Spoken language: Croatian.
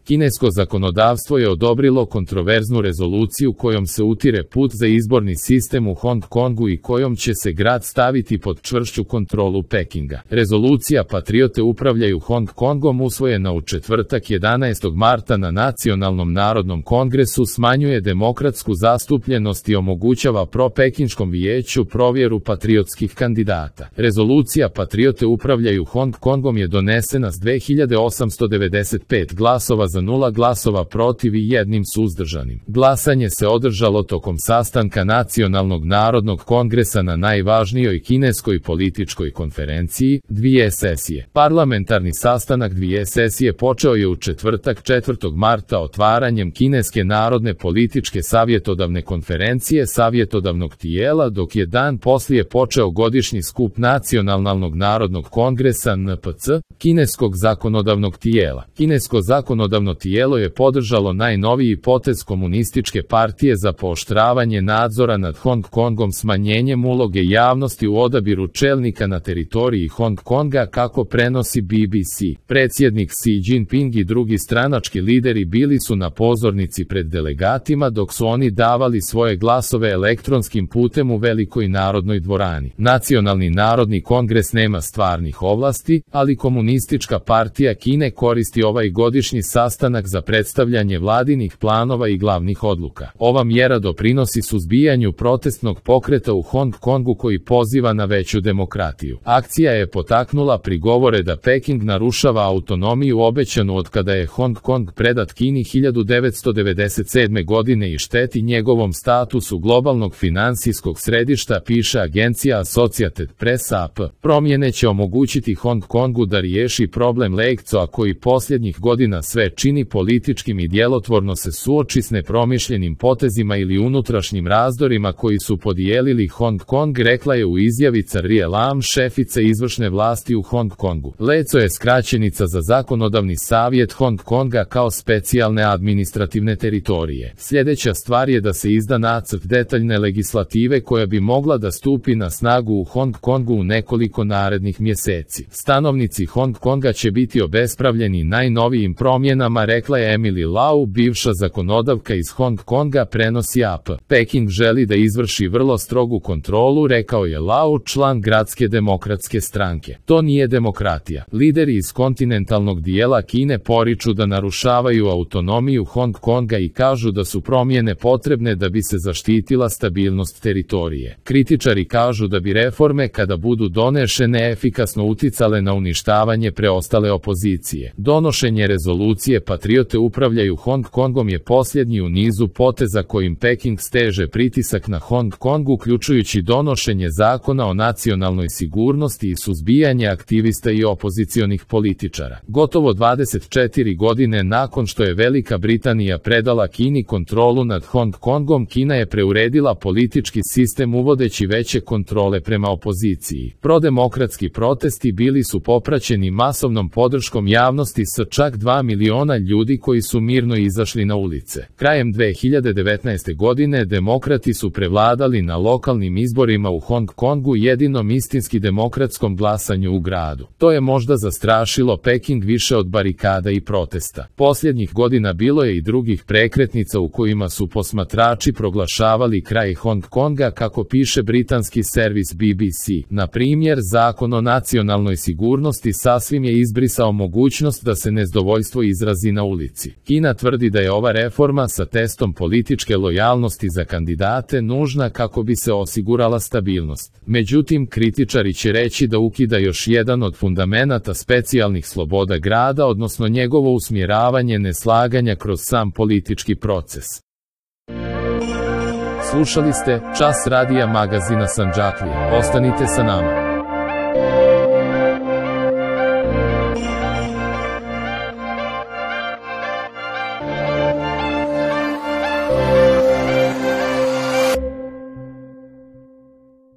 Kinesko zakonodavstvo je odobrilo kontroverznu rezoluciju kojom se utire put za izborni sistem u Hong Kongu i kojom će se grad staviti pod čvršću kontrolu Pekinga. Rezolucija Patriote upravljaju Hong Kongom usvojena u četvrtak 11. marta na Nacionalnom narodnom kongresu smanjuje demokratsku zastupljenost i omogućava pro-pekinškom vijeću provjeru patriotskih kandidata. Rezolucija Patriote upravljaju Hong Kongom je donesena s 2895 glasova za 0 glasova protiv i 1 suzdržanim. Glasanje se održalo tokom sastanka Nacionalnog narodnog kongresa na najvažnijoj kineskoj političkoj konferenciji, 2 sesije. Parlamentarni sastanak 2 sesije počeo je u četvrtak 4. marta otvaranjem Kineske narodne političke savjetodavne konferencije savjetodavnog tijela, dok je dan poslije počeo godišnji skup Nacionalnog narodnog kongresa NPC, kineskog zakonodavnog tijela. Kinesko zakonodavno tijelo je podržalo najnoviji potez komunističke partije za pooštravanje nadzora nad Hong Kongom smanjenjem uloge javnosti u odabiru čelnika na teritoriji Hong Konga, kako prenosi BBC. Predsjednik Xi Jinping i drugi stranački lideri bili su na pozornici pred delegatima dok su oni davali svoje glasove elektronskim putem u Velikoj narodnoj dvorani. Nacionalni narodni kongres nema stvarnih ovlasti, ali Komunistička partija Kine koristi ovaj godišnji sastanak za predstavljanje vladinih planova i glavnih odluka. Ova mjera doprinosi suzbijanju protestnog pokreta u Hong Kongu koji poziva na veću demokratiju. Akcija je potaknula prigovore da Peking narušava autonomiju obećanu od kada je Hong Kong predat Kini 1997. godine i šteti njegovom statusu globalnog finansijskog središta, piše agencija Associated Press AP. Promjene će omogućiti Hong Kongu da riješi problem Leikcoa koji posljednjih godina sve čini političkim i djelotvorno se suoči s nepromišljenim potezima ili unutrašnjim razdorima koji su podijelili Hong Kong, rekla je u izjavi Carrie Lam, šefica izvršne vlasti u Hong Kongu. LECO je skraćenica za zakonodavni savjet Hong Konga kao specijalne administrativne teritorije. Sljedeća stvar je da se izda nacrt detaljne legislative koja bi mogla da stupi na snagu u Hong Kongu u nekoliko narednih mjeseci. Stanovnici Hong Konga će biti obespravljeni najnovijim promjenama, rekla je Emily Lau, bivša zakonodavka iz Hong Konga, prenosi AP. Peking želi da izvrši vrlo strogu kontrolu, rekao je Lau, član Gradske demokratske stranke. To nije demokratija. Lideri iz kontinentalnog dijela Kine poriču da narušavaju autonomiju Hong Konga i kažu da su promjene potrebne da bi se zaštitila stabilnost teritorije. Kritičari kažu da bi reforme, kada budu donešene, efikasno uticale na uništavanje preostale opozicije. Donošenje rezolucije Patriote upravljaju Hong Kongom je posljednji u nizu poteza kojim Peking steže pritisak na Hong Kong, uključujući donošenje zakona o nacionalnoj sigurnosti i suzbijanje aktivista i opozicionih političara. Gotovo 24 godine nakon što je Velika Britanija predala Kini kontrolu nad Hong Kongom, Kina je preuredila politički sistem uvodeći veće kontrole prema opoziciji. Prodemokratski protesti bili su popraćeni masovnom podrškom javnosti sa čak 2 miliona ljudi koji su mirno izašli na ulice. Krajem 2019. godine demokrati su prevladali na lokalnim izborima u Hong Kongu, jedinom istinski demokratskom glasanju u gradu. To je možda zastrašilo Peking više od barikada i protesta. Posljednjih godina bilo je i drugih prekretnica u kojima su posmatrači proglašavali kraj Hong Konga, kako piše britanski servis BBC. Na primjer, zakon o nacionalnoj sigurnosti sasvim je izbrisao mogućnost da se nezadovoljstvo izrazi na ulici. Kina tvrdi da je ova reforma sa testom političke lojalnosti za kandidate nužna kako bi se osigurala stabilnost. Međutim, kritičari će reći da ukida još jedan od fundamenata specijalnih sloboda grada, odnosno njegovo usmjeravanje neslaganja kroz sam politički proces. Slušali ste Čas radija magazina Sandžaklija. Ostanite sa nama.